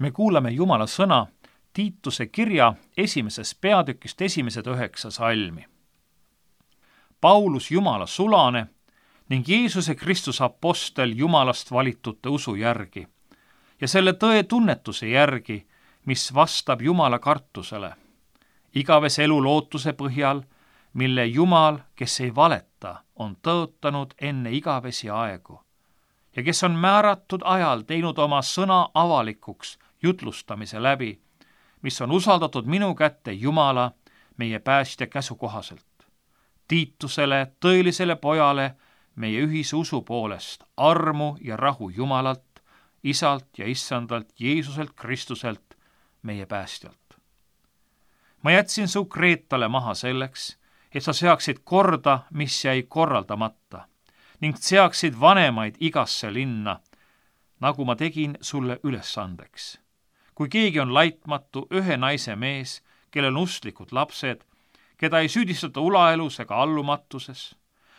Me kuulame Jumala sõna Tiituse kirja 1. peatükist 9 salmi. Paulus Jumala sulane ning Jeesuse Kristuse apostel Jumalast valitute usu järgi ja selle tõe tunnetuse järgi, mis vastab Jumala kartusele, igavese elu lootuse põhjal, mille Jumal, kes ei valeta, on tõotanud enne igavesi aegu ja kes on määratud ajal teinud oma sõna avalikuks jutlustamise läbi, mis on usaldatud minu kätte Jumala, meie päästja käsu kohaselt. Tiitusele, tõelisele pojale, meie ühise usu poolest, armu ja rahu Jumalalt, Isalt ja Issandalt, Jeesuselt Kristuselt, meie päästjalt. Ma jätsin su Kreetale maha selleks, et sa seaksid korda, mis jäi korraldamata, ning seaksid vanemaid igasse linna, nagu ma tegin sulle ülesandeks. Kui keegi on laitmatu ühe naise mees, kellel on usklikud lapsed, keda ei süüdistata ulaelus ega allumatuses,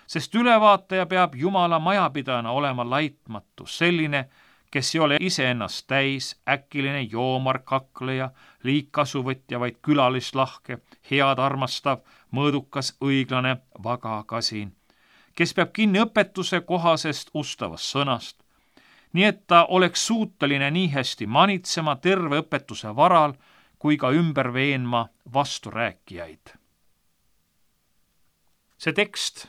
sest ülevaataja peab Jumala majapidajana olema laitmatu, selline, kes ei ole iseennast täis, äkiline joomar, kakleja, liigkasuvõtja, vaid külalislahke, head armastav, mõõdukas, õiglane, vaga, kasin, kes peab kinni õpetuse kohasest ustavast sõnast, nii et ta oleks suuteline nii hästi manitsema terve õpetuse varal kui ka ümber veenma vasturääkijaid. See tekst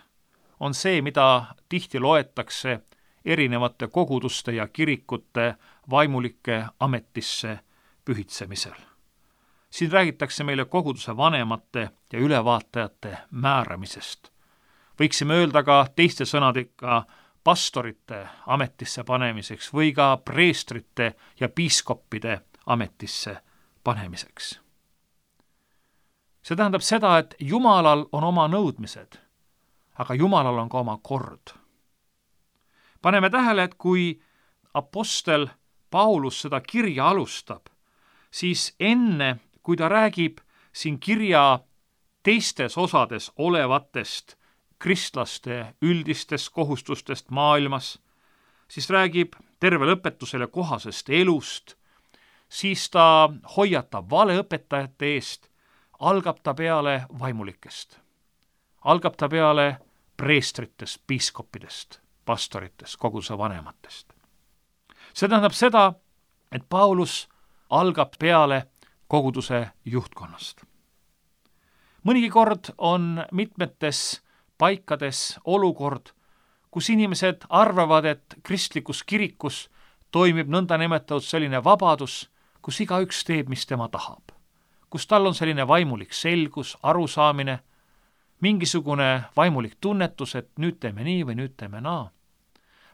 on see, mida tihti loetakse erinevate koguduste ja kirikute vaimulike ametisse pühitsemisel. Siin räägitakse meile koguduse vanemate ja ülevaatajate määramisest. Võiksime öelda ka teiste sõnadega pastorite ametisse panemiseks või ka preestrite ja piiskoppide ametisse panemiseks. See tähendab seda, et Jumalal on oma nõudmised, aga Jumalal on ka oma kord. Paneme tähele, et kui apostel Paulus seda kirja alustab, siis enne, kui ta räägib siin kirja teistes osades olevatest kristlaste üldistest kohustustest maailmas, siis räägib terve õpetusele kohasest elust, siis ta hoiatab valeõpetajate eest, algab ta peale vaimulikest, algab ta peale preestritest, piiskoppidest, pastoritest, koguduse vanematest. See tähendab seda, et Paulus algab peale koguduse juhtkonnast. Mõnigi kord on mitmetes paikades olukord, kus inimesed arvavad, et kristlikus kirikus toimib nõndanimetatud selline vabadus, kus igaüks teeb, mis tema tahab. Kus tal on selline vaimulik selgus, arusaamine, mingisugune vaimulik tunnetus, et nüüd teeme nii või nüüd teeme naa.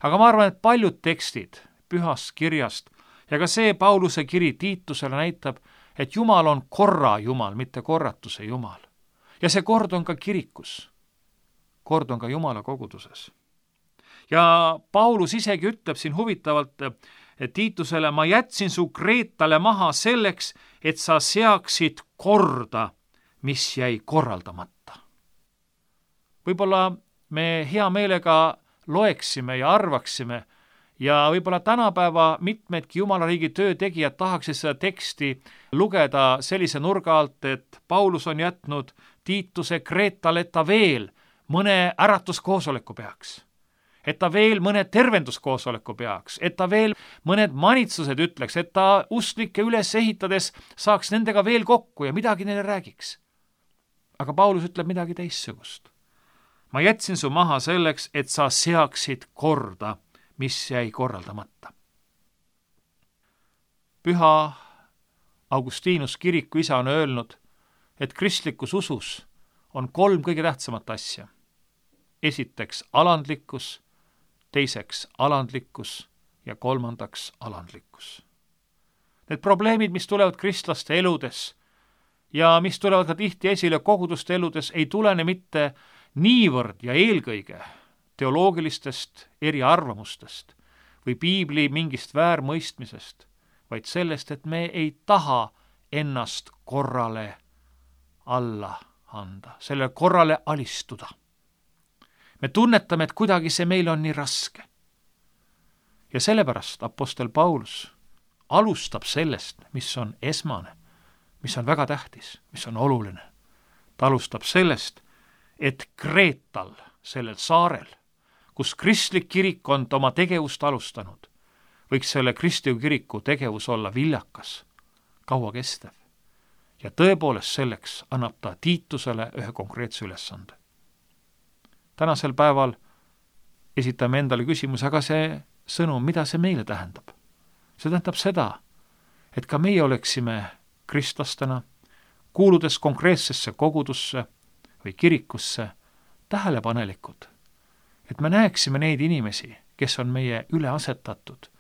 Aga ma arvan, et paljud tekstid pühast kirjast ja ka see Pauluse kiri Tiitusele näitab, et Jumal on korra Jumal, mitte korratuse Jumal. Ja see kord on ka kirikus. Kord on ka Jumala koguduses. Ja Paulus isegi ütleb siin huvitavalt Tiitusele, ma jätsin su Kreetale maha selleks, et sa seaksid korda, mis jäi korraldamata. Võib-olla me hea meelega loeksime ja arvaksime ja võib-olla tänapäeva mitmedki Jumala riigi töötegijad tahaksid seda teksti lugeda sellise nurga alt, et Paulus on jätnud Tiituse Kreetale, et ta veel mõne äratuskoosoleku peaks, et ta veel mõne tervenduskoosoleku peaks, et ta veel mõned manitsused ütleks, et ta usklikke üles ehitades saaks nendega veel kokku ja midagi neile räägiks. Aga Paulus ütleb midagi teissugust. Ma jätsin su maha selleks, et sa seaksid korda, mis jäi korraldamata. Püha Augustinus kiriku isa on öelnud, et kristlikus usus on 3 kõige tähtsamat asja. Esiteks alandlikkus, teiseks alandlikkus ja 3. alandlikkus. Need probleemid, mis tulevad kristlaste eludes ja mis tulevad ka tihti esile koguduste eludes, ei tulene mitte niivõrd ja eelkõige teoloogilistest eriarvamustest või piibli mingist väärmõistmisest, vaid sellest, et me ei taha ennast korrale alla anda, selle korrale alistuda. Me tunnetame, et kuidagi see meil on nii raske. Ja sellepärast apostel Paulus alustab sellest, mis on esmane, mis on väga tähtis, mis on oluline. Ta alustab sellest, et Kreetal, sellel saarel, kus kristlik kirik on oma tegevust alustanud, võiks selle kristliku kiriku tegevus olla viljakas, kauakestev. Ja tõepoolest selleks annab ta Tiitusele ühe konkreetse ülesande. Tänasel päeval esitame endale küsimuse, aga see sõnum, mida see meile tähendab? See tähendab seda, et ka meie oleksime kristlastena, kuuludes konkreetsesse kogudusse või kirikusse, tähelepanelikud, et me näeksime neid inimesi, kes on meie üle asetatud,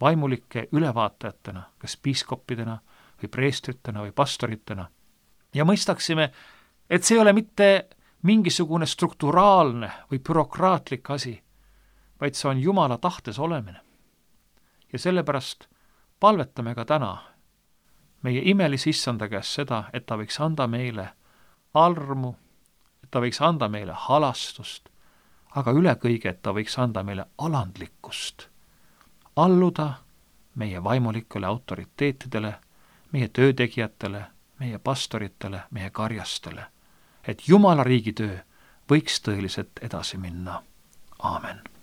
vaimulike ülevaatajatena, kas piiskoppidena või preestritena või pastoritena, ja mõistaksime, et see ei ole mitte mingisugune strukturaalne või bürokraatlik asi, vaid see on Jumala tahtes olemine. Ja sellepärast palvetame ka täna meie imelise issanda käest seda, et ta võiks anda meile armu, et ta võiks anda meile halastust, aga üle kõige, et ta võiks anda meile alandlikkust, alluda meie vaimulikele autoriteetidele, meie töötegijatele, meie pastoritele, meie karjastele, et Jumala riigi töö võiks tõeliselt edasi minna. Aamen.